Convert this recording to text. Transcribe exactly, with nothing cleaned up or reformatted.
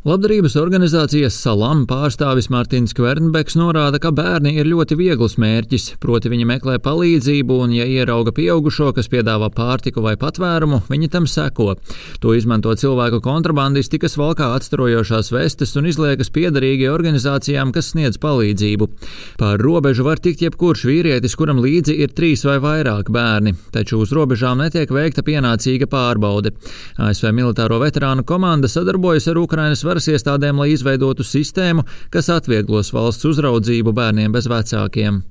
Labdarības organizācijas Salam pārstāvis Martins Kvernbeks norāda, ka bērni ir ļoti viegls mērķis, proti viņi meklē palīdzību un, ja ierauga pieaugušo, kas piedāvā pārtiku vai patvērumu, viņi tam seko. To izmanto cilvēku kontrabandisti, kas valkā atstarojošās vestes un izliekas piederīgi organizācijām, kas sniedz palīdzību. Pār robežu var tikt jebkurš vīrietis, kuram līdzi ir trīs vai vairāk bērni, taču uz robežām netiek veikta pienācīga pārbaude. A S V militāro veterānu komanda sadarbojas ar Ukrainas varas iestādēm, lai izveidotu sistēmu, kas atvieglos valsts uzraudzību bērniem bez vecākiem.